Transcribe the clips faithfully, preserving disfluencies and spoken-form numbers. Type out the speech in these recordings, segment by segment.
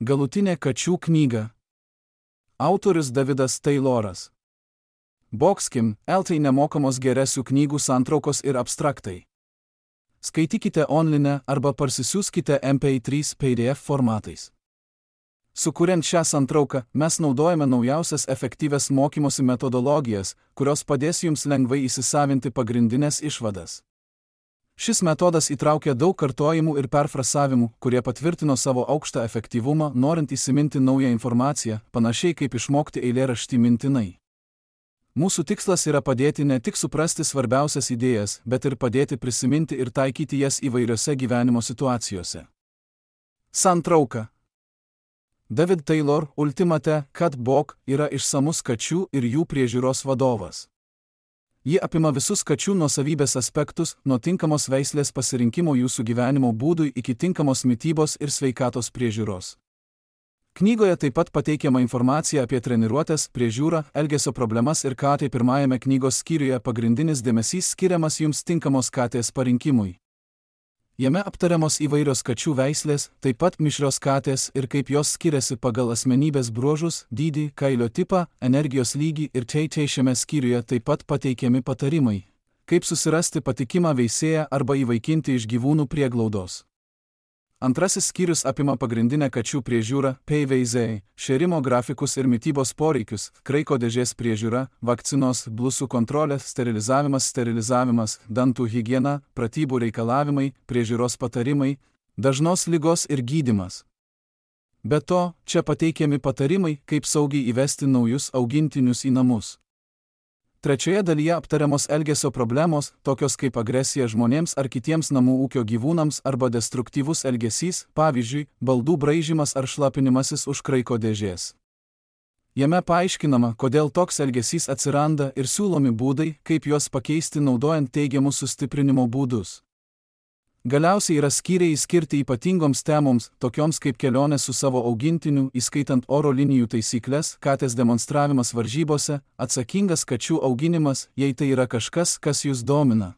Galutinė kačių knyga. Autorius Davidas Tayloras. Boxkim, L T nemokamos geresių knygų santraukos ir abstraktai. Skaitykite online arba parsisiųskite M P trys P D F formatais. Sukuriant šią santrauką, mes naudojame naujausias efektyvias mokymosi metodologijas, kurios padės jums lengvai įsisavinti pagrindinės išvadas. Šis metodas įtraukia daug kartojimų ir perfrasavimų, kurie patvirtino savo aukštą efektyvumą, norint įsiminti naują informaciją, panašiai kaip išmokti eilėraštį mintinai. Mūsų tikslas yra padėti ne tik suprasti svarbiausias idėjas, bet ir padėti prisiminti ir taikyti jas įvairiose gyvenimo situacijose. Santrauka. David Taylor Ultimate Cat Book yra išsamus kačių ir jų priežiūros vadovas. Ji apima visus kačių nuosavybės aspektus, nuo tinkamos veislės pasirinkimo jūsų gyvenimo būdui iki tinkamos mitybos ir sveikatos priežiūros. Knygoje taip pat pateikiama informacija apie treniruotes, priežiūrą, elgesio problemas ir katę. Pirmajame knygos skyriuje pagrindinis dėmesys skiriamas jums tinkamos katės parinkimui. Jame aptariamos įvairios kačių veislės, taip pat mišrios katės ir kaip jos skiriasi pagal asmenybės bruožus, dydį, kailio tipą, energijos lygį ir tai šiame skyriuje taip pat pateikiami patarimai, kaip susirasti patikimą veisėją arba įvaikinti iš gyvūnų prieglaudos. Antrasis skyrius apima pagrindinę kačių priežiūrą, veizėjai, šėrimo grafikus ir mitybos poreikius, kraiko dėžės priežiūra, vakcinos, blusų kontrolė, sterilizavimas, sterilizavimas, dantų higiena, pratybų reikalavimai, priežiūros patarimai, dažnos ligos ir gydymas. Be to, čia pateikiami patarimai, kaip saugiai įvesti naujus augintinius į namus. Trečioje dalyje aptariamos elgesio problemos, tokios kaip agresija žmonėms ar kitiems namų ūkio gyvūnams arba destruktyvus elgesys, pavyzdžiui, baldų braižymas ar šlapinimasis už kraiko dėžės. Jame paaiškinama, kodėl toks elgesys atsiranda ir siūlomi būdai, kaip juos pakeisti naudojant teigiamus sustiprinimo būdus. Galiausiai yra skyriai skirti ypatingoms temoms, tokioms kaip kelionės su savo augintiniu, įskaitant oro linijų taisyklės, katės demonstravimas varžybose, atsakingas kačių auginimas, jei tai yra kažkas, kas jūs domina.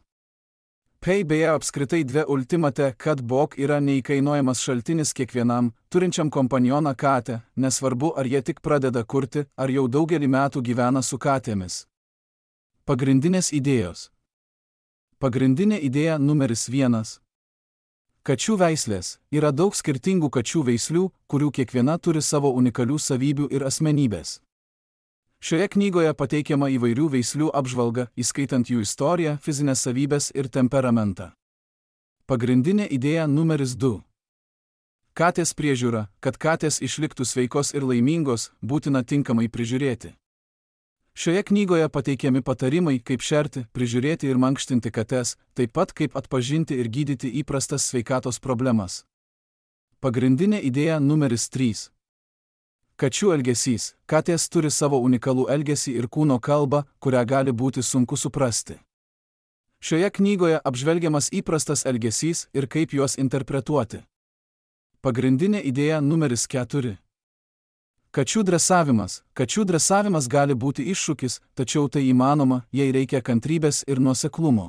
P B E apskritai dvi Ultimate Cat Book yra neįkainojamas šaltinis kiekvienam, turinčiam kompanioną katę, nesvarbu ar jie tik pradeda kurti, ar jau daugelį metų gyvena su katėmis. Pagrindinės idėjos. Pagrindinė idėja numeris vienas. Kačių veislės. Yra daug skirtingų kačių veislių, kurių kiekviena turi savo unikalių savybių ir asmenybės. Šioje knygoje pateikiama įvairių veislių apžvalga, įskaitant jų istoriją, fizinės savybės ir temperamentą. Pagrindinė idėja numeris du. Katės priežiūra. Kad katės išliktų sveikos ir laimingos, būtina tinkamai prižiūrėti. Šioje knygoje pateikiami patarimai, kaip šerti, prižiūrėti ir mankštinti kates, taip pat kaip atpažinti ir gydyti įprastas sveikatos problemas. Pagrindinė idėja numeris trys. Kačių elgesys. Katės turi savo unikalų elgesį ir kūno kalbą, kurią gali būti sunku suprasti. Šioje knygoje apžvelgiamas įprastas elgesys ir kaip juos interpretuoti. Pagrindinė idėja numeris keturi. Kačių dresavimas. Kačių dresavimas gali būti iššūkis, tačiau tai įmanoma, jei reikia kantrybės ir nuoseklumo.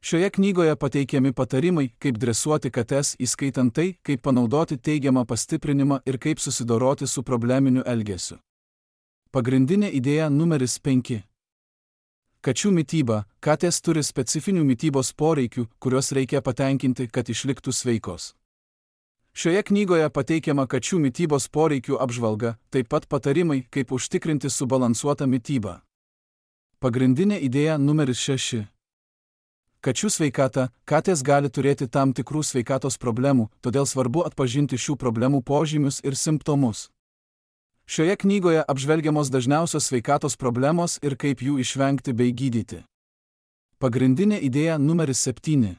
Šioje knygoje pateikiami patarimai, kaip dresuoti kates, įskaitant tai, kaip panaudoti teigiamą pastiprinimą ir kaip susidoroti su probleminiu elgesiu. Pagrindinė idėja numeris penki. Kačių mityba. Katės turi specifinių mitybos poreikių, kuriuos reikia patenkinti, kad išliktų sveikos. Šioje knygoje pateikiama kačių mitybos poreikių apžvalga, taip pat patarimai, kaip užtikrinti subalansuotą mitybą. Pagrindinė idėja numeris šeši. Kačių sveikata. Katės gali turėti tam tikrų sveikatos problemų, todėl svarbu atpažinti šių problemų požymius ir simptomus. Šioje knygoje apžvelgiamos dažniausios sveikatos problemos ir kaip jų išvengti bei gydyti. Pagrindinė idėja numeris septyni.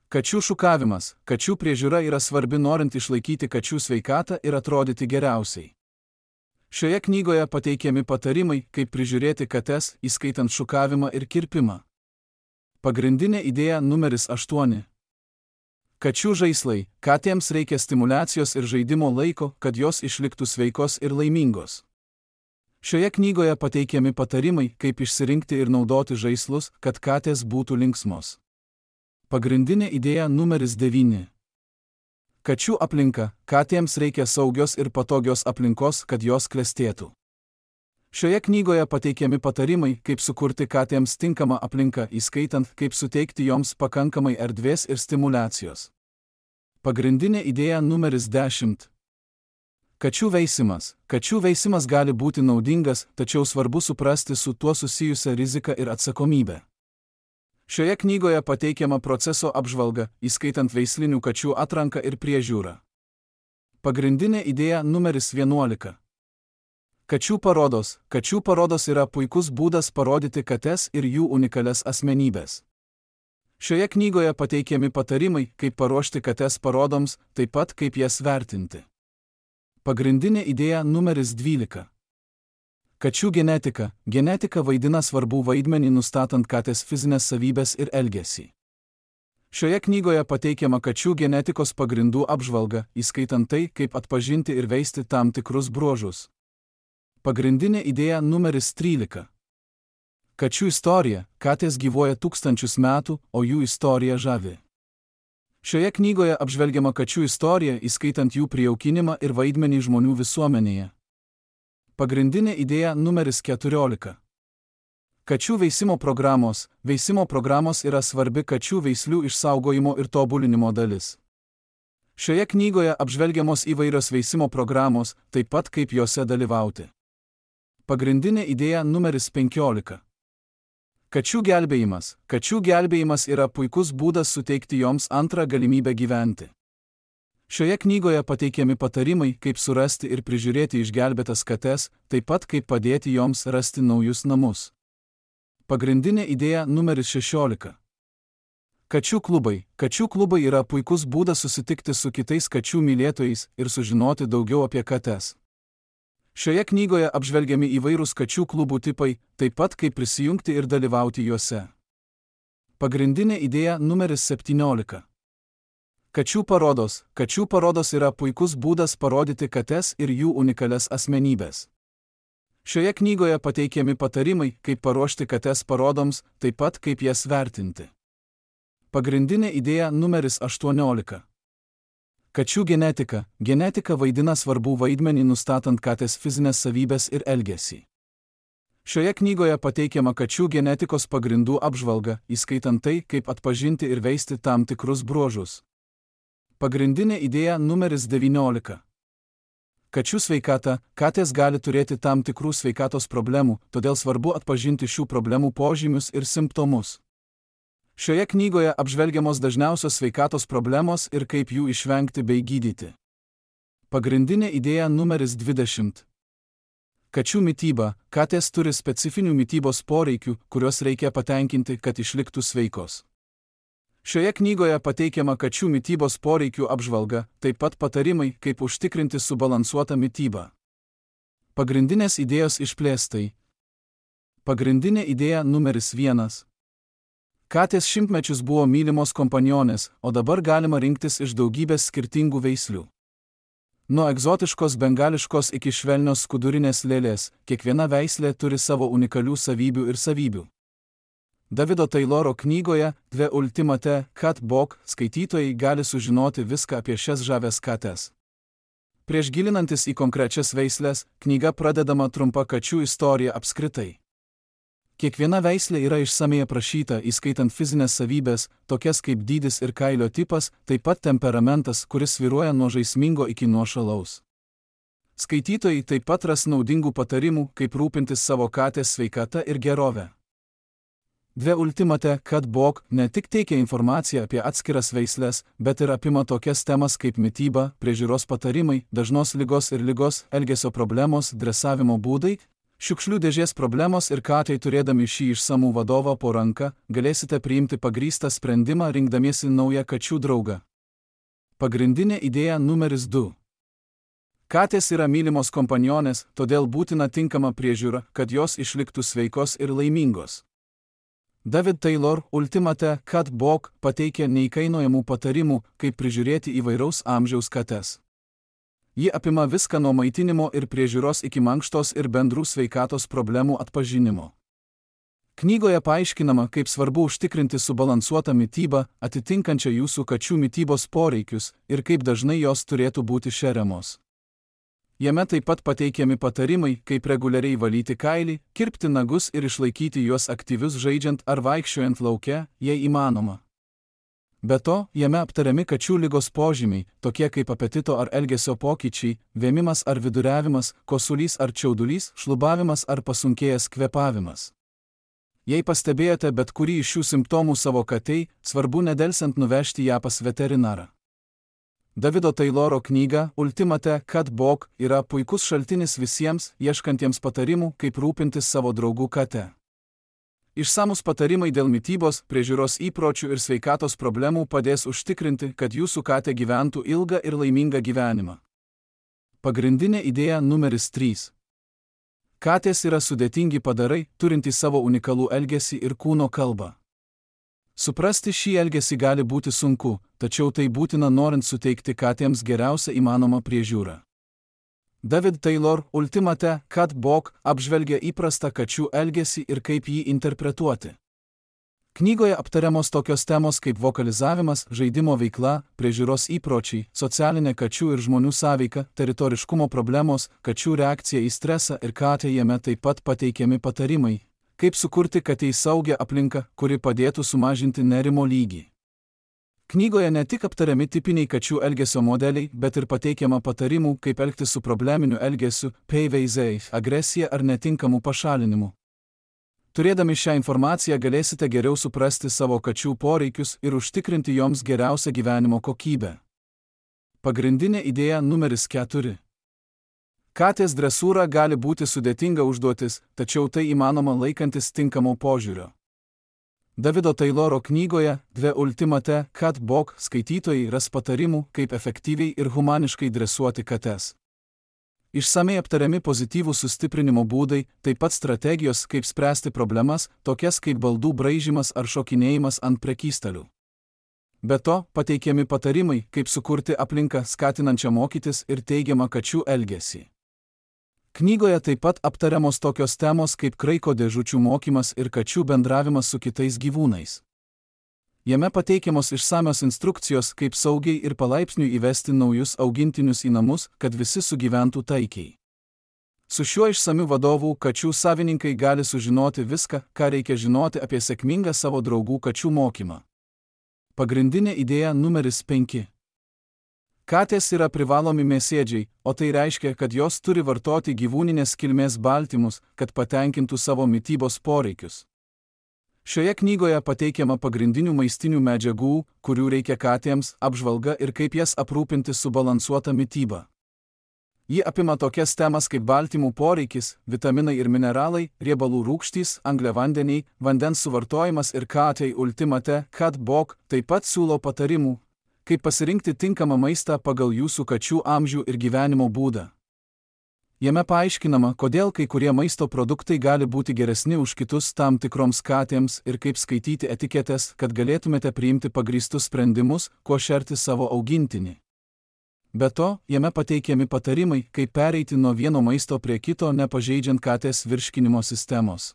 Kačių šukavimas. Kačių priežiūra yra svarbi norint išlaikyti kačių sveikatą ir atrodyti geriausiai. Šioje knygoje pateikiami patarimai, kaip prižiūrėti kates, įskaitant šukavimą ir kirpimą. Pagrindinė idėja numeris aštuoni. Kačių žaislai. Katėms reikia stimulacijos ir žaidimo laiko, kad jos išliktų sveikos ir laimingos. Šioje knygoje pateikiami patarimai, kaip išsirinkti ir naudoti žaislus, kad katės būtų linksmos. Pagrindinė idėja numeris devyni. Kačių aplinka. Katėms reikia saugios ir patogios aplinkos, kad jos klestėtų. Šioje knygoje pateikiami patarimai, kaip sukurti katėms tinkamą aplinką, įskaitant, kaip suteikti joms pakankamai erdvės ir stimulacijos. Pagrindinė idėja numeris dešimt. Kačių veisimas. Kačių veisimas gali būti naudingas, tačiau svarbu suprasti su tuo susijusią riziką ir atsakomybę. Šioje knygoje pateikiama proceso apžvalga, įskaitant veislinių kačių atranką ir priežiūrą. Pagrindinė idėja numeris vienuolika. Kačių parodos. Kačių parodos yra puikus būdas parodyti kates ir jų unikalias asmenybės. Šioje knygoje pateikiami patarimai, kaip paruošti kates parodoms, taip pat kaip jas vertinti. Pagrindinė idėja numeris dvylika. Kačių genetika. Genetika vaidina svarbų vaidmenį nustatant katės fizinės savybės ir elgesį. Šioje knygoje pateikiama kačių genetikos pagrindų apžvalga, įskaitant tai, kaip atpažinti ir veisti tam tikrus bruožus. Pagrindinė idėja numeris trylika. Kačių istorija. Katės gyvuoja tūkstančius metų, o jų istorija žavi. Šioje knygoje apžvelgiama kačių istorija, įskaitant jų prijaukinimą ir vaidmenį žmonių visuomenėje. Pagrindinė idėja numeris keturiolika. Kačių veisimo programos. Veisimo programos yra svarbi kačių veislių išsaugojimo ir tobulinimo dalis. Šioje knygoje apžvelgiamos įvairios veisimo programos, taip pat kaip jose dalyvauti. Pagrindinė idėja numeris penkiolika. Kačių gelbėjimas. Kačių gelbėjimas yra puikus būdas suteikti joms antrą galimybę gyventi. Šioje knygoje pateikiami patarimai, kaip surasti ir prižiūrėti išgelbėtas kates, taip pat kaip padėti joms rasti naujus namus. Pagrindinė idėja numeris šešiolika. Kačių klubai. Kačių klubai yra puikus būdas susitikti su kitais kačių mylėtojais ir sužinoti daugiau apie kates. Šioje knygoje apžvelgiami įvairūs kačių klubų tipai, taip pat kaip prisijungti ir dalyvauti juose. Pagrindinė idėja numeris septyniolika. Kačių parodos. Kačių parodos yra puikus būdas parodyti kates ir jų unikalias asmenybės. Šioje knygoje pateikiami patarimai, kaip paruošti kates parodoms, taip pat kaip jas vertinti. Pagrindinė idėja numeris aštuoniolika. Kačių genetika. Genetika vaidina svarbų vaidmenį nustatant katės fizinės savybės ir elgesį. Šioje knygoje pateikiama kačių genetikos pagrindų apžvalga, įskaitant tai, kaip atpažinti ir veisti tam tikrus bruožus. Pagrindinė idėja numeris devyniolika. Kačių sveikata. Katės gali turėti tam tikrų sveikatos problemų, todėl svarbu atpažinti šių problemų požymius ir simptomus. Šioje knygoje apžvelgiamos dažniausios sveikatos problemos ir kaip jų išvengti bei gydyti. Pagrindinė idėja numeris dvidešimt. Kačių mityba. Katės turi specifinių mitybos poreikių, kuriuos reikia patenkinti, kad išliktų sveikos. Šioje knygoje pateikiama kačių mitybos poreikių apžvalga, taip pat patarimai, kaip užtikrinti subalansuotą mitybą. Pagrindinės idėjos išplėstai. Pagrindinė idėja numeris vienas. Katės šimtmečius buvo mylimos kompanionės, o dabar galima rinktis iš daugybės skirtingų veislių. Nuo egzotiškos bengališkos iki švelnios skudurinės lėlės, kiekviena veislė turi savo unikalių savybių ir savybių. Davido Tayloro knygoje The Ultimate Cat Book skaitytojai gali sužinoti viską apie šias žavias kates. Prieš gilinantis į konkrečias veislės, knyga pradedama trumpa kačių istorija apskritai. Kiekviena veislė yra išsamei aprašyta, įskaitant fizinės savybės, tokias kaip dydis ir kailio tipas, taip pat temperamentas, kuris svyruoja nuo žaismingo iki nuošalaus. Skaitytojai taip pat ras naudingų patarimų, kaip rūpintis savo katės sveikata ir gerove. The Ultimate Cat Book ne tik teikia informaciją apie atskiras veislės, bet ir apima tokias temas kaip mityba, priežiūros patarimai, dažnos ligos ir ligos, elgesio problemos, dresavimo būdai, šiukšlių dėžės problemos ir katei turėdami šį išsamų vadovą po ranka, galėsite priimti pagrįstą sprendimą rinkdamiesi naują kačių draugą. Pagrindinė idėja numeris du. Katės yra mylimos kompanionės, todėl būtina tinkama priežiūra, kad jos išliktų sveikos ir laimingos. David Taylor Ultimate Cat Book pateikia neįkainojamų patarimų, kaip prižiūrėti įvairaus amžiaus kates. Ji apima viską nuo maitinimo ir priežiūros iki mankštos ir bendrų sveikatos problemų atpažinimo. Knygoje paaiškinama, kaip svarbu užtikrinti subalansuotą mitybą, atitinkančią jūsų kačių mitybos poreikius ir kaip dažnai jos turėtų būti šeriamos. Jame taip pat pateikiami patarimai, kaip reguliariai valyti kailį, kirpti nagus ir išlaikyti juos aktyvius žaidžiant ar vaikščiojant lauke, jei įmanoma. Be to, jame aptariami kačių ligos požymiai, tokie kaip apetito ar elgesio pokyčiai, vėmimas ar viduriavimas, kosulys ar čiaudulys, šlubavimas ar pasunkėjęs kvėpavimas. Jei pastebėjote bet kurį iš šių simptomų savo katei, svarbu nedelsiant nuvežti ją pas veterinarą. Davido Tayloro knyga Ultimate Cat Book yra puikus šaltinis visiems, ieškantiems patarimų, kaip rūpintis savo draugų kate. Išsamus patarimai dėl mitybos, priežiūros įpročių ir sveikatos problemų padės užtikrinti, kad jūsų katė gyventų ilgą ir laimingą gyvenimą. Pagrindinė idėja numeris trys. Katės yra sudėtingi padarai, turintys savo unikalų elgesį ir kūno kalbą. Suprasti šį elgesį gali būti sunku, tačiau tai būtina norint suteikti katėms geriausią įmanomą priežiūrą. David Taylor Ultimate Cat Book apžvelgia įprastą kačių elgesį ir kaip jį interpretuoti. Knygoje aptariamos tokios temos kaip vokalizavimas, žaidimo veikla, priežiūros įpročiai, socialinė kačių ir žmonių sąveika, teritoriškumo problemos, kačių reakcija į stresą ir katė jame taip pat pateikiami patarimai, kaip sukurti katei saugią aplinką, kuri padėtų sumažinti nerimo lygį. Knygoje ne tik aptariami tipiniai kačių elgesio modeliai, bet ir pateikiama patarimų, kaip elgtis su probleminiu elgesiu, pavyzdžiui, agresija ar netinkamu pašalinimu. Turėdami šią informaciją galėsite geriau suprasti savo kačių poreikius ir užtikrinti joms geriausią gyvenimo kokybę. Pagrindinė idėja numeris keturi. Katės dresūra gali būti sudėtinga užduotis, tačiau tai įmanoma laikantis tinkamo požiūrio. Davido Tayloro knygoje The Ultimate Cat Book skaitytojai ras patarimų, kaip efektyviai ir humaniškai dresuoti kates. Išsamei aptariami pozityvų sustiprinimo būdai, taip pat strategijos, kaip spręsti problemas, tokias kaip baldų braižymas ar šokinėjimas ant prekystalių. Be to, pateikiami patarimai, kaip sukurti aplinką skatinančią mokytis ir teigiamą kačių elgesį. Knygoje taip pat aptariamos tokios temos kaip kraiko dėžučių mokymas ir kačių bendravimas su kitais gyvūnais. Jame pateikiamos išsamios instrukcijos, kaip saugiai ir palaipsniui įvesti naujus augintinius į namus, kad visi sugyventų taikiai. Su šiuo išsamiu vadovu kačių savininkai gali sužinoti viską, ką reikia žinoti apie sėkmingą savo draugų kačių mokymą. Pagrindinė idėja numeris penki. Katės yra privalomi mėsėdžiai, o tai reiškia, kad jos turi vartoti gyvūninės kilmės baltymus, kad patenkintų savo mitybos poreikius. Šioje knygoje pateikiama pagrindinių maistinių medžiagų, kurių reikia katėms, apžvalga ir kaip jas aprūpinti subalansuotą mitybą. Ji apima tokias temas kaip baltymų poreikis, vitaminai ir mineralai, riebalų rūgštys, angliavandeniai, vandens suvartojimas ir katei Ultimate Cat Book taip pat siūlo patarimų, kaip pasirinkti tinkamą maistą pagal jūsų kačių amžių ir gyvenimo būdą. Jame paaiškinama, kodėl kai kurie maisto produktai gali būti geresni už kitus tam tikroms katėms ir kaip skaityti etiketes, kad galėtumėte priimti pagrįstus sprendimus, kuo šerti savo augintinį. Be to, jame pateikiami patarimai, kaip pereiti nuo vieno maisto prie kito, nepažeidžiant katės virškinimo sistemos.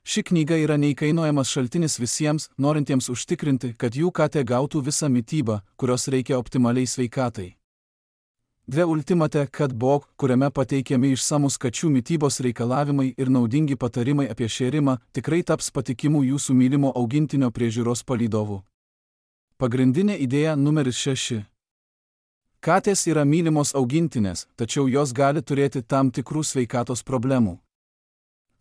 Ši knyga yra neįkainojamas šaltinis visiems, norintiems užtikrinti, kad jų katė gautų visą mitybą, kurios reikia optimaliai sveikatai. The Ultimate Cat Book, kuriame pateikiami išsamus kačių mitybos reikalavimai ir naudingi patarimai apie šėrimą, tikrai taps patikimu jūsų mylimo augintinio priežiūros palydovu. Pagrindinė idėja numeris šeši. Katės yra mylimos augintinės, tačiau jos gali turėti tam tikrų sveikatos problemų.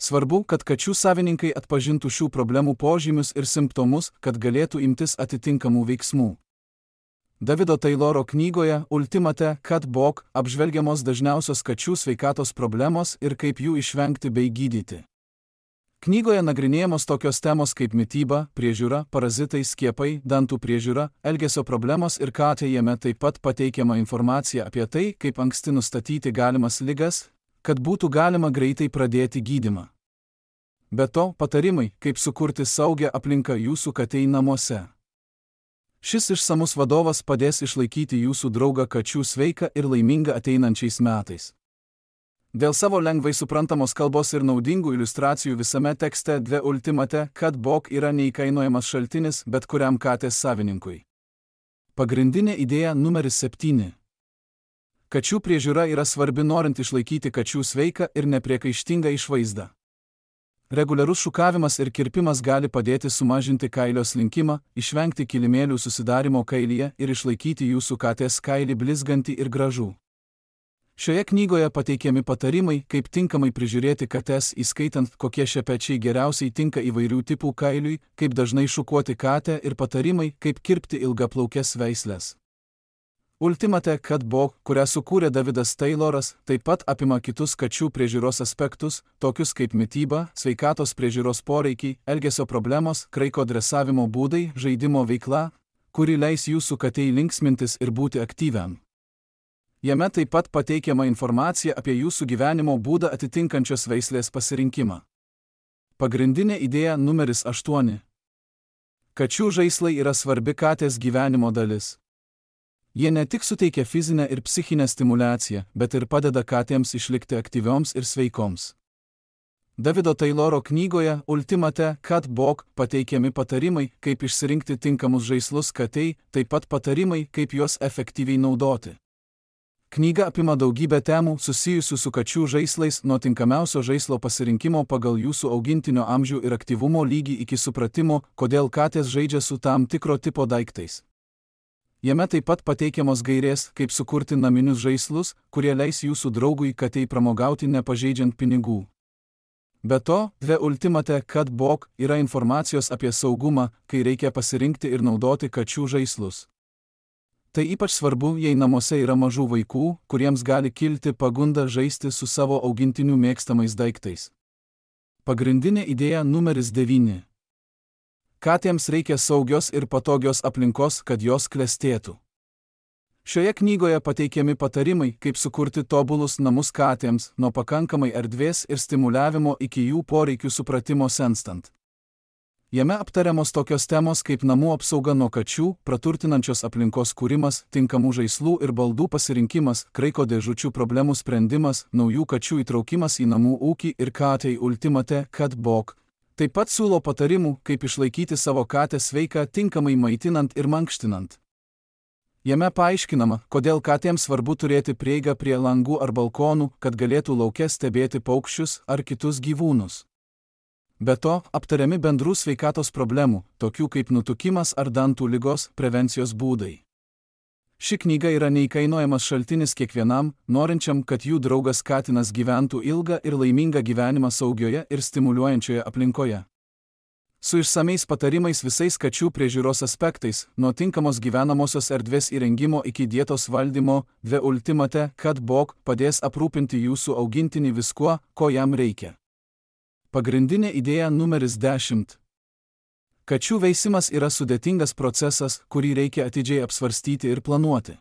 Svarbu, kad kačių savininkai atpažintų šių problemų požymius ir simptomus, kad galėtų imtis atitinkamų veiksmų. Davido Tayloro knygoje Ultimate Cat Book apžvelgiamos dažniausios kačių sveikatos problemos ir kaip jų išvengti bei gydyti. Knygoje nagrinėjamos tokios temos kaip mityba, priežiūra, parazitai, skiepai, dantų priežiūra, elgesio problemos ir katė jame taip pat pateikiama informacija apie tai, kaip anksti nustatyti galimas ligas, kad būtų galima greitai pradėti gydymą. Be to, patarimai, kaip sukurti saugią aplinką jūsų katei namuose. Šis išsamus vadovas padės išlaikyti jūsų draugą kačių sveiką ir laimingą ateinančiais metais. Dėl savo lengvai suprantamos kalbos ir naudingų iliustracijų visame tekste The Ultimate Cat Book yra neįkainojamas šaltinis bet kuriam katės savininkui. Pagrindinė idėja numeris septyni. Kačių priežiūra yra svarbi norint išlaikyti kačių sveiką ir nepriekaištingą išvaizdą. Reguliarus šukavimas ir kirpimas gali padėti sumažinti kailio slinkimą, išvengti kilimėlių susidarimo kailyje ir išlaikyti jūsų katės kailį blizgantį ir gražų. Šioje knygoje pateikiami patarimai, kaip tinkamai prižiūrėti kates, įskaitant, kokie šepečiai geriausiai tinka įvairių tipų kailiui, kaip dažnai šukuoti katę ir patarimai, kaip kirpti ilgaplaukes veislės. Ultimate Cat Book, kurią sukūrė Davidas Tayloras, taip pat apima kitus kačių priežiūros aspektus, tokius kaip mityba, sveikatos priežiūros poreikiai, elgesio problemos, kraiko dresavimo būdai, žaidimo veikla, kuri leis jūsų katei linksmintis ir būti aktyviam. Jame taip pat pateikiama informacija apie jūsų gyvenimo būdą atitinkančios veislės pasirinkimą. Pagrindinė idėja numeris aštuoni. Kačių žaislai yra svarbi katės gyvenimo dalis. Jie ne tik suteikia fizinę ir psichinę stimulaciją, bet ir padeda katėms išlikti aktyvioms ir sveikoms. Davido Tayloro knygoje Ultimate Cat Book pateikiami patarimai, kaip išsirinkti tinkamus žaislus katei, taip pat patarimai, kaip juos efektyviai naudoti. Knyga apima daugybę temų susijusių su kačių žaislais, nuo tinkamiausio žaislo pasirinkimo pagal jūsų augintinio amžių ir aktyvumo lygį iki supratimo, kodėl katės žaidžia su tam tikro tipo daiktais. Jame taip pat pateikiamos gairės, kaip sukurti naminius žaislus, kurie leis jūsų draugui katei pramogauti nepažeidžiant pinigų. Be to, The Ultimate Cat Book yra informacijos apie saugumą, kai reikia pasirinkti ir naudoti kačių žaislus. Tai ypač svarbu, jei namuose yra mažų vaikų, kuriems gali kilti pagunda žaisti su savo augintinių mėgstamais daiktais. Pagrindinė idėja numeris devyni. Katėms reikia saugios ir patogios aplinkos, kad jos klestėtų. Šioje knygoje pateikiami patarimai, kaip sukurti tobulus namus katėms, nuo pakankamai erdvės ir stimuliavimo iki jų poreikių supratimo senstant. Jame aptariamos tokios temos kaip namų apsauga nuo kačių, praturtinančios aplinkos kūrimas, tinkamų žaislų ir baldų pasirinkimas, kraiko dėžučių problemų sprendimas, naujų kačių įtraukimas į namų ūkį ir katei Ultimate Cat Book. Taip pat siūlo patarimų, kaip išlaikyti savo katę sveiką tinkamai maitinant ir mankštinant. Jame paaiškinama, kodėl katėms svarbu turėti prieigą prie langų ar balkonų, kad galėtų lauke stebėti paukščius ar kitus gyvūnus. Be to, aptariami bendrų sveikatos problemų, tokių kaip nutukimas ar dantų ligos, prevencijos būdai. Ši knyga yra neįkainojamas šaltinis kiekvienam, norinčiam, kad jų draugas katinas gyventų ilgą ir laimingą gyvenimą saugioje ir stimuliuojančioje aplinkoje. Su išsamiais patarimais visais kačių priežiūros aspektais, nuo tinkamos gyvenamosios erdvės įrengimo iki dietos valdymo, The Ultimate Cat Book padės aprūpinti jūsų augintinį viskuo, ko jam reikia. Pagrindinė idėja numeris dešimt. Kačių veisimas yra sudėtingas procesas, kurį reikia atidžiai apsvarstyti ir planuoti.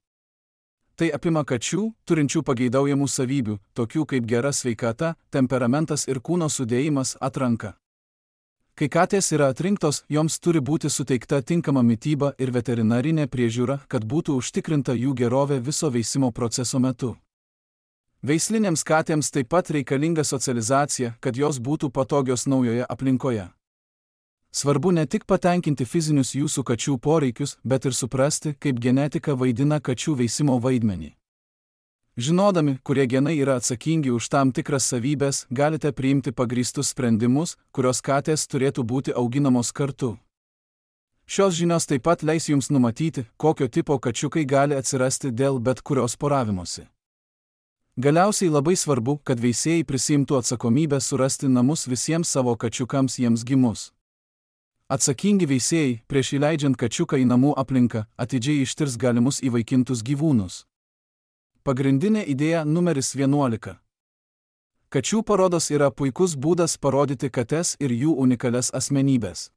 Tai apima kačių, turinčių pageidaujamų savybių, tokių kaip gera sveikata, temperamentas ir kūno sudėjimas, atranka. Kai katės yra atrinktos, joms turi būti suteikta tinkama mityba ir veterinarinė priežiūra, kad būtų užtikrinta jų gerovė viso veisimo proceso metu. Veislinėms katėms taip pat reikalinga socializacija, kad jos būtų patogios naujoje aplinkoje. Svarbu ne tik patenkinti fizinius jūsų kačių poreikius, bet ir suprasti, kaip genetika vaidina kačių veisimo vaidmenį. Žinodami, kurie genai yra atsakingi už tam tikras savybės, galite priimti pagrįstus sprendimus, kurios katės turėtų būti auginamos kartu. Šios žinios taip pat leis jums numatyti, kokio tipo kačiukai gali atsirasti dėl bet kurios poravimosi. Galiausiai labai svarbu, kad veisėjai prisiimtų atsakomybę surasti namus visiems savo kačiukams jiems gimus. Atsakingi veisėjai, prieš įleidžiant kačiuką į namų aplinką, atidžiai ištirs galimus įvaikintus gyvūnus. Pagrindinė idėja numeris vienuolika. Kačių parodos yra puikus būdas parodyti kates ir jų unikalias asmenybės.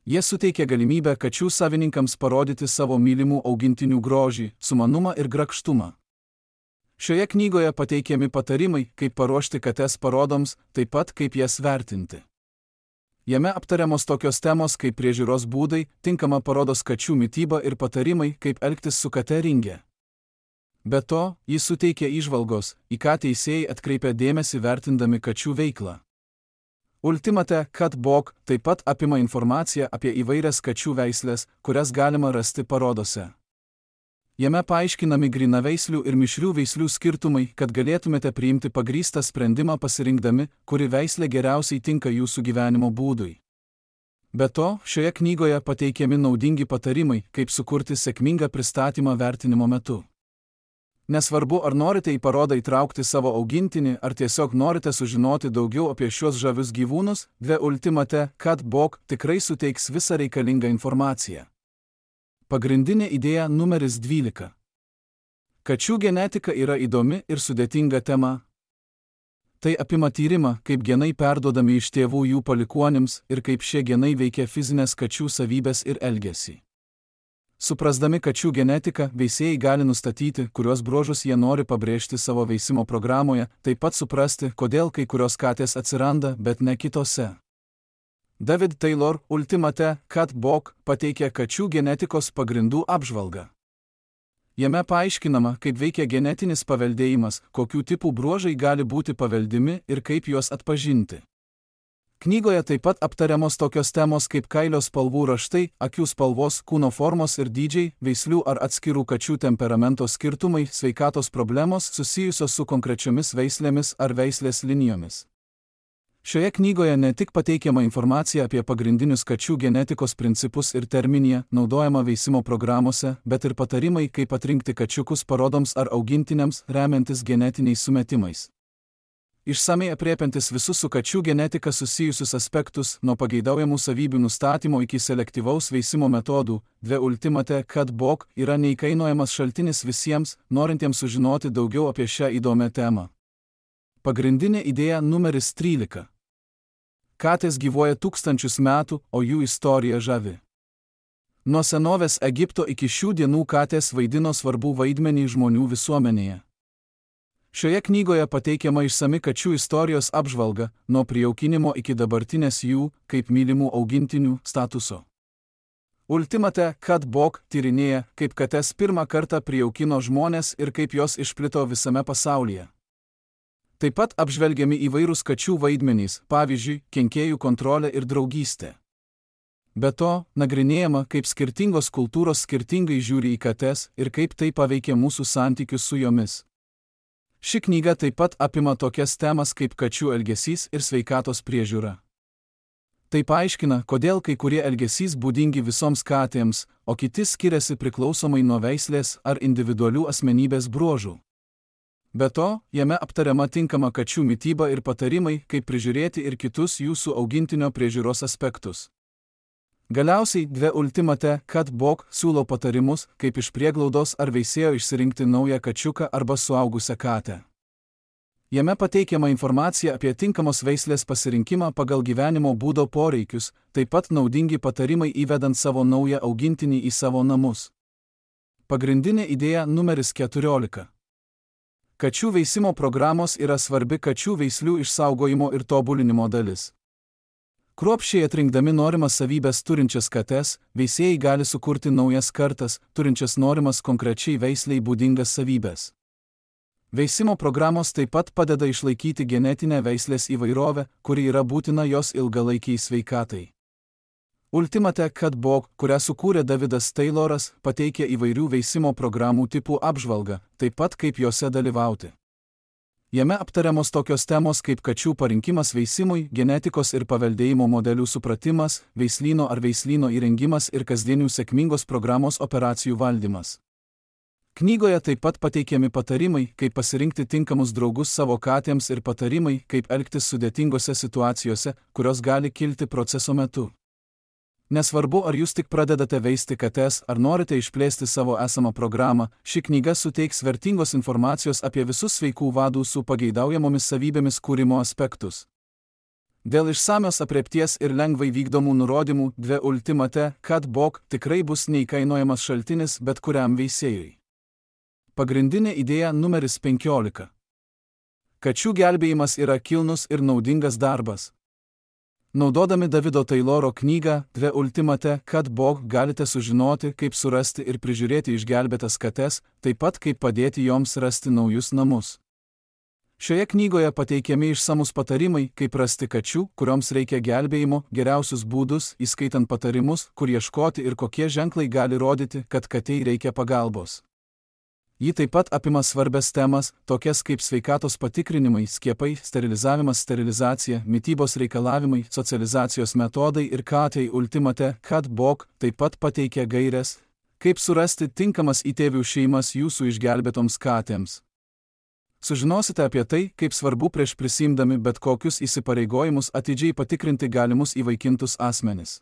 Jie suteikia galimybę kačių savininkams parodyti savo mylimų augintinių grožį, sumanumą ir grakštumą. Šioje knygoje pateikiami patarimai, kaip paruošti kates parodoms, taip pat kaip jas vertinti. Jame aptariamos tokios temos kaip priežiūros būdai, tinkama parodos kačių mityba ir patarimai, kaip elgtis su kate ringe. Be to, jis suteikia įžvalgos, į ką teisėjai atkreipia dėmesį vertindami kačių veiklą. Ultimate Cat Book taip pat apima informaciją apie įvairias kačių veislės, kurias galima rasti parodose. Jame paaiškinami grynaveislių ir mišrių veislių skirtumai, kad galėtumėte priimti pagrįstą sprendimą pasirinkdami, kuri veislė geriausiai tinka jūsų gyvenimo būdui. Be to, šioje knygoje pateikiami naudingi patarimai, kaip sukurti sėkmingą pristatymą vertinimo metu. Nesvarbu, ar norite į parodą įtraukti savo augintinį, ar tiesiog norite sužinoti daugiau apie šios žavius gyvūnus, The Ultimate Cat Book tikrai suteiks visą reikalingą informaciją. Pagrindinė idėja numeris dvylika. Kačių genetika yra įdomi ir sudėtinga tema. Tai apima tyrimą, kaip genai perduodami iš tėvų jų palikuonims ir kaip šie genai veikia fizinės kačių savybės ir elgesį. Suprasdami kačių genetiką, veisėjai gali nustatyti, kuriuos bruožus jie nori pabrėžti savo veisimo programoje, taip pat suprasti, kodėl kai kurios katės atsiranda, bet ne kitose. David Taylor Ultimate Cat Book pateikia kačių genetikos pagrindų apžvalgą. Jame paaiškinama, kaip veikia genetinis paveldėjimas, kokių tipų bruožai gali būti paveldimi ir kaip juos atpažinti. Knygoje taip pat aptariamos tokios temos kaip kailio spalvų raštai, akių spalvos, kūno formos ir dydžiai, veislių ar atskirų kačių temperamento skirtumai, sveikatos problemos susijusios su konkrečiomis veislėmis ar veislės linijomis. Šioje knygoje ne tik pateikiama informacija apie pagrindinius kačių genetikos principus ir terminiją, naudojama veisimo programuose, bet ir patarimai, kaip atrinkti kačiukus parodoms ar augintiniams, remiantis genetiniais sumetimais. Išsamei aprėpiantis visus su kačių genetika susijusius aspektus, nuo pageidaujamų savybių nustatymo iki selektyvaus veisimo metodų, The Ultimate Cat Book yra neįkainojamas šaltinis visiems, norintiems sužinoti daugiau apie šią įdomią temą. Pagrindinė idėja numeris trylika. Katės gyvuoja tūkstančius metų, o jų istorija žavi. Nuo senovės Egipto iki šių dienų katės vaidino svarbų vaidmenį žmonių visuomenėje. Šioje knygoje pateikiama išsami kačių istorijos apžvalga, nuo prijaukinimo iki dabartinės jų, kaip mylimų augintinių, statuso. Ultimate Cat Book tyrinėja, kaip kates pirmą kartą prijaukino žmonės ir kaip jos išplito visame pasaulyje. Taip pat apžvelgiami įvairūs kačių vaidmenys, pavyzdžiui, kenkėjų kontrolė ir draugystė. Be to, nagrinėjama, kaip skirtingos kultūros skirtingai žiūri į kates ir kaip tai paveikia mūsų santykius su jomis. Ši knyga taip pat apima tokias temas kaip kačių elgesys ir sveikatos priežiūra. Tai paaiškina, kodėl kai kurie elgesys būdingi visoms katėms, o kiti skiriasi priklausomai nuo veislės ar individualių asmenybės bruožų. Be to, jame aptariama tinkama kačių mityba ir patarimai, kaip prižiūrėti ir kitus jūsų augintinio priežiūros aspektus. Galiausiai The Ultimate Cat Book siūlo patarimus, kaip iš prieglaudos ar veisėjo išsirinkti naują kačiuką arba suaugusią katę. Jame pateikiama informacija apie tinkamos veislės pasirinkimą pagal gyvenimo būdo poreikius, taip pat naudingi patarimai įvedant savo naują augintinį į savo namus. Pagrindinė idėja numeris keturiolika. Kačių veisimo programos yra svarbi kačių veislių išsaugojimo ir tobulinimo dalis. Kruopščiai atrinkdami norimas savybės turinčias kates, veisėjai gali sukurti naujas kartas, turinčias norimas konkrečiai veisliai būdingas savybės. Veisimo programos taip pat padeda išlaikyti genetinę veislės įvairovę, kuri yra būtina jos ilgalaikiai sveikatai. Ultimate Cat Book, kurią sukūrė Davidas Tayloras, pateikia įvairių veisimo programų tipų apžvalgą, taip pat kaip jose dalyvauti. Jame aptariamos tokios temos kaip kačių parinkimas veisimui, genetikos ir paveldėjimo modelių supratimas, veislyno ar veislyno įrengimas ir kasdienių sėkmingos programos operacijų valdymas. Knygoje taip pat pateikiami patarimai, kaip pasirinkti tinkamus draugus savo katėms ir patarimai, kaip elgtis sudėtingose situacijose, kurios gali kilti proceso metu. Nesvarbu, ar jūs tik pradedate veisti kates, ar norite išplėsti savo esamą programą, ši knyga suteiks vertingos informacijos apie visus sveikų vadų su pageidaujamomis savybėmis kūrimo aspektus. Dėl išsamios aprėpties ir lengvai vykdomų nurodymų The Ultimate Cat Book tikrai bus neįkainojamas šaltinis bet kuriam veisėjui. Pagrindinė idėja numeris penkiolika. Kačių gelbėjimas yra kilnus ir naudingas darbas. Naudodami Davido Tayloro knygą The Ultimate Cat Book galite sužinoti, kaip surasti ir prižiūrėti išgelbėtas kates, taip pat kaip padėti joms rasti naujus namus. Šioje knygoje pateikiami išsamus patarimai, kaip rasti kačių, kurioms reikia gelbėjimo, geriausius būdus, įskaitant patarimus, kur ieškoti ir kokie ženklai gali rodyti, kad katei reikia pagalbos. Ji taip pat apima svarbias temas, tokias kaip sveikatos patikrinimai, skiepai, sterilizavimas, sterilizacija, mitybos reikalavimai, socializacijos metodai ir katei Ultimate Cat Book taip pat pateikia gaires, kaip surasti tinkamas įtėvių šeimas jūsų išgelbėtoms katėms. Sužinosite apie tai, kaip svarbu prieš prisimdami bet kokius įsipareigojimus atidžiai patikrinti galimus įvaikintus asmenis.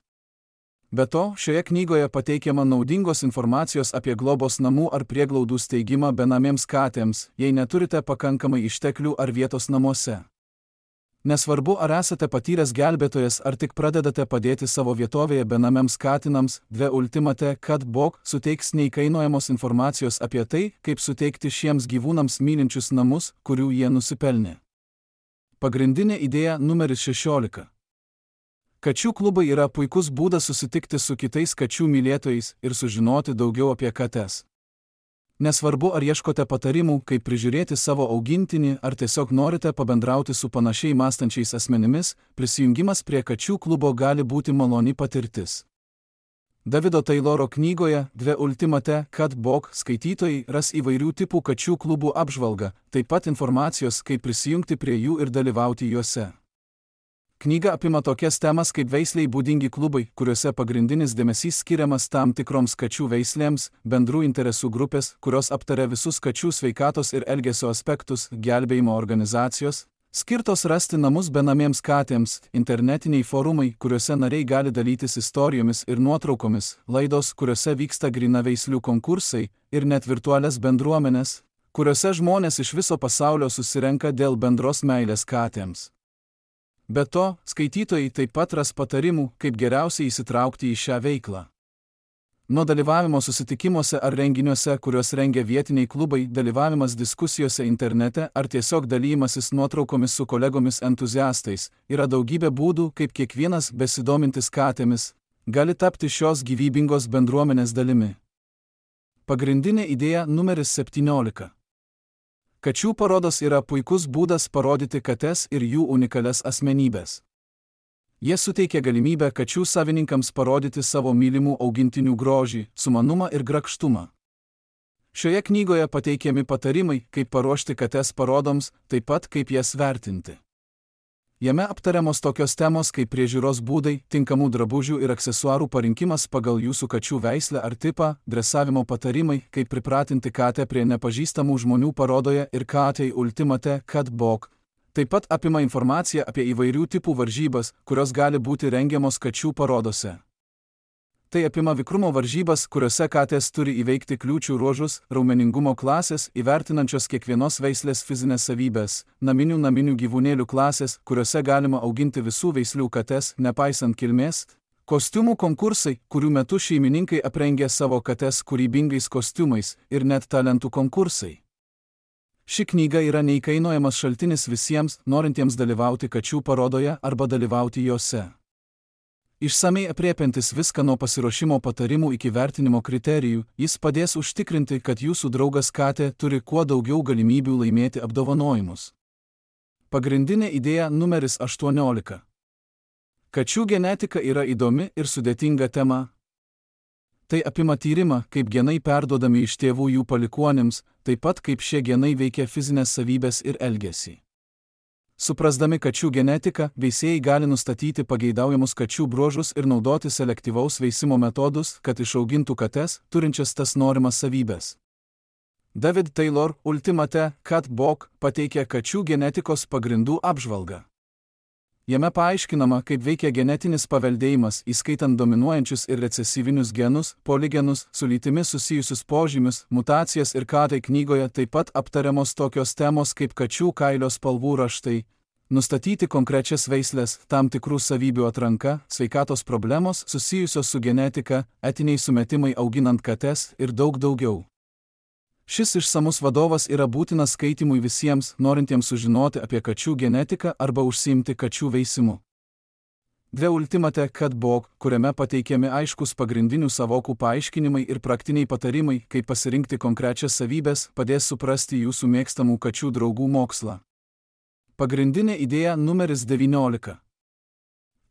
Be to, šioje knygoje pateikiama naudingos informacijos apie globos namų ar prieglaudų steigimą benamėms katėms, jei neturite pakankamai išteklių ar vietos namuose. Nesvarbu, ar esate patyręs gelbėtojas ar tik pradedate padėti savo vietovėje benamiams katinams, The Ultimate Cat Book suteiks neįkainojamos informacijos apie tai, kaip suteikti šiems gyvūnams mylinčius namus, kurių jie nusipelnė. Pagrindinė idėja numeris šešiolika. Kačių klubai yra puikus būdas susitikti su kitais kačių mylėtojais ir sužinoti daugiau apie kates. Nesvarbu, ar ieškote patarimų, kaip prižiūrėti savo augintinį, ar tiesiog norite pabendrauti su panašiai mąstančiais asmenimis, prisijungimas prie kačių klubo gali būti maloni patirtis. Davido Tayloro knygoje The Ultimate Cat Book skaitytojai ras įvairių tipų kačių klubų apžvalgą, taip pat informacijos, kaip prisijungti prie jų ir dalyvauti juose. Knyga apima tokias temas kaip veisliai būdingi klubai, kuriuose pagrindinis dėmesys skiriamas tam tikroms kačių veislėms, bendrų interesų grupės, kurios aptaria visus kačių sveikatos ir elgesio aspektus, gelbėjimo organizacijos, skirtos rasti namus benamiems katėms, internetiniai forumai, kuriuose nariai gali dalytis istorijomis ir nuotraukomis, laidos, kuriuose vyksta grynaveislių konkursai, ir net virtualias bendruomenės, kuriuose žmonės iš viso pasaulio susirenka dėl bendros meilės katėms. Be to, skaitytojai taip pat ras patarimų, kaip geriausiai įsitraukti į šią veiklą. Nuo dalyvavimo susitikimuose ar renginiuose, kuriuos rengia vietiniai klubai, dalyvavimas diskusijose internete ar tiesiog dalymasis nuotraukomis su kolegomis entuziastais, yra daugybė būdų, kaip kiekvienas besidomintis katėmis gali tapti šios gyvybingos bendruomenės dalimi. Pagrindinė idėja numeris septyniolika. Kačių parodos yra puikus būdas parodyti kates ir jų unikalias asmenybės. Jie suteikia galimybę kačių savininkams parodyti savo mylimų augintinių grožį, sumanumą ir grakštumą. Šioje knygoje pateikiami patarimai, kaip paruošti kates parodoms, taip pat kaip jas vertinti. Jame aptariamos tokios temos kaip priežiūros būdai, tinkamų drabužių ir aksesuarų parinkimas pagal jūsų kačių veislę ar tipą, dresavimo patarimai, kaip pripratinti katę prie nepažįstamų žmonių parodoje ir katei Ultimate Cat Book. Taip pat apima informaciją apie įvairių tipų varžybas, kurios gali būti rengiamos kačių parodose. Tai apima vikrumo varžybas, kuriuose katės turi įveikti kliūčių ruožus, raumeningumo klasės, įvertinančios kiekvienos veislės fizinės savybės, naminių naminių gyvūnėlių klasės, kuriuose galima auginti visų veislių kates, nepaisant kilmės, kostiumų konkursai, kurių metu šeimininkai aprengia savo kates kūrybingais kostiumais, ir net talentų konkursai. Ši knyga yra neįkainojamas šaltinis visiems, norintiems dalyvauti kačių parodoje arba dalyvauti jose. Išsamei apriepiantis viską nuo pasiruošimo patarimų iki vertinimo kriterijų, jis padės užtikrinti, kad jūsų draugas katė turi kuo daugiau galimybių laimėti apdovanojimus. Pagrindinė idėja numeris aštuoniolika. Kačių genetika yra įdomi ir sudėtinga tema. Tai apima tyrimą, kaip genai perduodami iš tėvų jų palikuonims, taip pat kaip šie genai veikia fizinės savybės ir elgesį. Suprasdami kačių genetiką, veisėjai gali nustatyti pageidaujamus kačių bruožus ir naudoti selektyvaus veisimo metodus, kad išaugintų kates, turinčias tas norimas savybės. David Taylor Ultimate Cat Book pateikia kačių genetikos pagrindų apžvalgą. Jame paaiškinama, kaip veikia genetinis paveldėjimas, įskaitant dominuojančius ir recesyvinius genus, poligenus, su lytimi susijusius požymius, mutacijas ir katai knygoje taip pat aptariamos tokios temos kaip kačių kailio spalvų raštai, nustatyti konkrečias veislės, tam tikrų savybių atranka, sveikatos problemos susijusios su genetika, etiniai sumetimai auginant kates ir daug daugiau. Šis išsamus vadovas yra būtinas skaitimui visiems, norintiems sužinoti apie kačių genetiką arba užsiimti kačių veisimu. The Ultimate Cutbook, kuriame pateikiami aiškus pagrindinių savokų paaiškinimai ir praktiniai patarimai, kaip pasirinkti konkrečias savybes, padės suprasti jūsų mėgstamų kačių draugų mokslą. Pagrindinė idėja numeris devyniolika.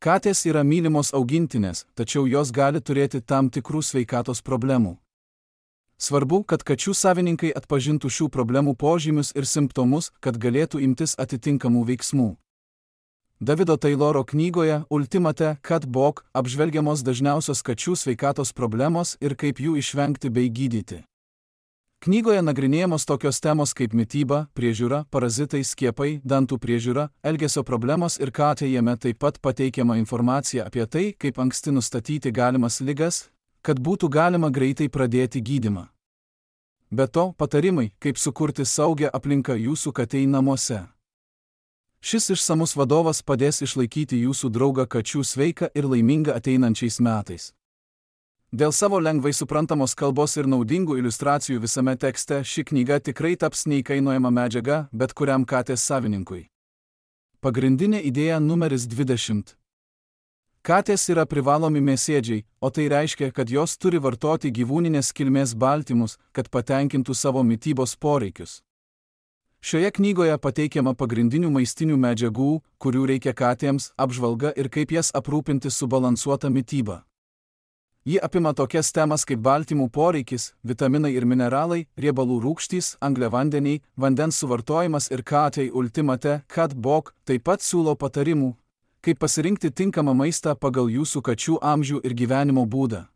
Katės yra mylimos augintinės, tačiau jos gali turėti tam tikrų sveikatos problemų. Svarbu, kad kačių savininkai atpažintų šių problemų požymius ir simptomus, kad galėtų imtis atitinkamų veiksmų. Davido Tayloro knygoje Ultimate Cutbook apžvelgiamos dažniausios kačių sveikatos problemos ir kaip jų išvengti bei gydyti. Knygoje nagrinėjamos tokios temos kaip mityba, priežiūra, parazitai, skiepai, dantų priežiūra, elgesio problemos ir katė. Jame taip pat pateikiama informacija apie tai, kaip anksti nustatyti galimas ligas, kad būtų galima greitai pradėti gydymą. Be to, patarimai, kaip sukurti saugią aplinką jūsų katei namuose. Šis išsamus vadovas padės išlaikyti jūsų draugą kačių sveiką ir laimingą ateinančiais metais. Dėl savo lengvai suprantamos kalbos ir naudingų iliustracijų visame tekste ši knyga tikrai taps neįkainojama medžiaga bet kuriam katės savininkui. Pagrindinė idėja numeris dvidešimt. Katės yra privalomi mėsėdžiai, o tai reiškia, kad jos turi vartoti gyvūninės kilmės baltymus, kad patenkintų savo mitybos poreikius. Šioje knygoje pateikiama pagrindinių maistinių medžiagų, kurių reikia katėms, apžvalga ir kaip jas aprūpinti subalansuota mityba. Ji apima tokias temas kaip baltymų poreikis, vitaminai ir mineralai, riebalų rūgštys, angliavandeniai, vandens suvartojimas ir katei Ultimate Cutbook taip pat siūlo patarimų, kaip pasirinkti tinkamą maistą pagal jūsų kačių amžių ir gyvenimo būdą.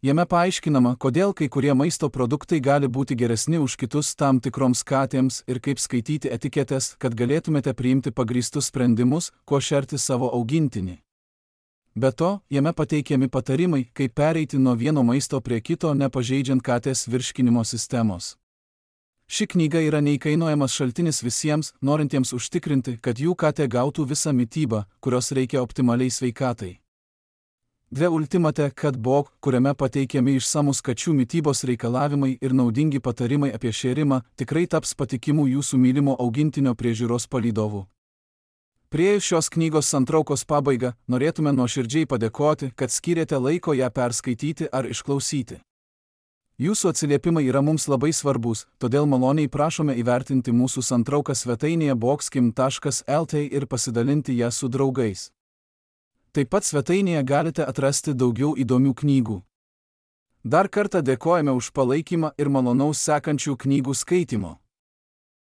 Jame paaiškinama, kodėl kai kurie maisto produktai gali būti geresni už kitus tam tikroms katėms ir kaip skaityti etiketes, kad galėtumėte priimti pagrįstus sprendimus, kuo šerti savo augintinį. Be to, jame pateikiami patarimai, kaip pereiti nuo vieno maisto prie kito, nepažeidžiant katės virškinimo sistemos. Ši knyga yra neįkainojamas šaltinis visiems, norintiems užtikrinti, kad jų katė gautų visą mitybą, kurios reikia optimaliai sveikatai. The Ultimate Cutbook, kuriame pateikiami išsamus kačių mitybos reikalavimai ir naudingi patarimai apie šėrimą, tikrai taps patikimų jūsų mylimo augintinio priežiūros palydovų. Priėjus šios knygos santraukos pabaigą, norėtume nuoširdžiai padėkoti, kad skyrėte laiko ją perskaityti ar išklausyti. Jūsų atsiliepimai yra mums labai svarbus, todėl maloniai prašome įvertinti mūsų santrauką svetainėje boxkim taškas lt ir pasidalinti ją su draugais. Taip pat svetainėje galite atrasti daugiau įdomių knygų. Dar kartą dėkojame už palaikymą ir malonaus sekančių knygų skaitimo.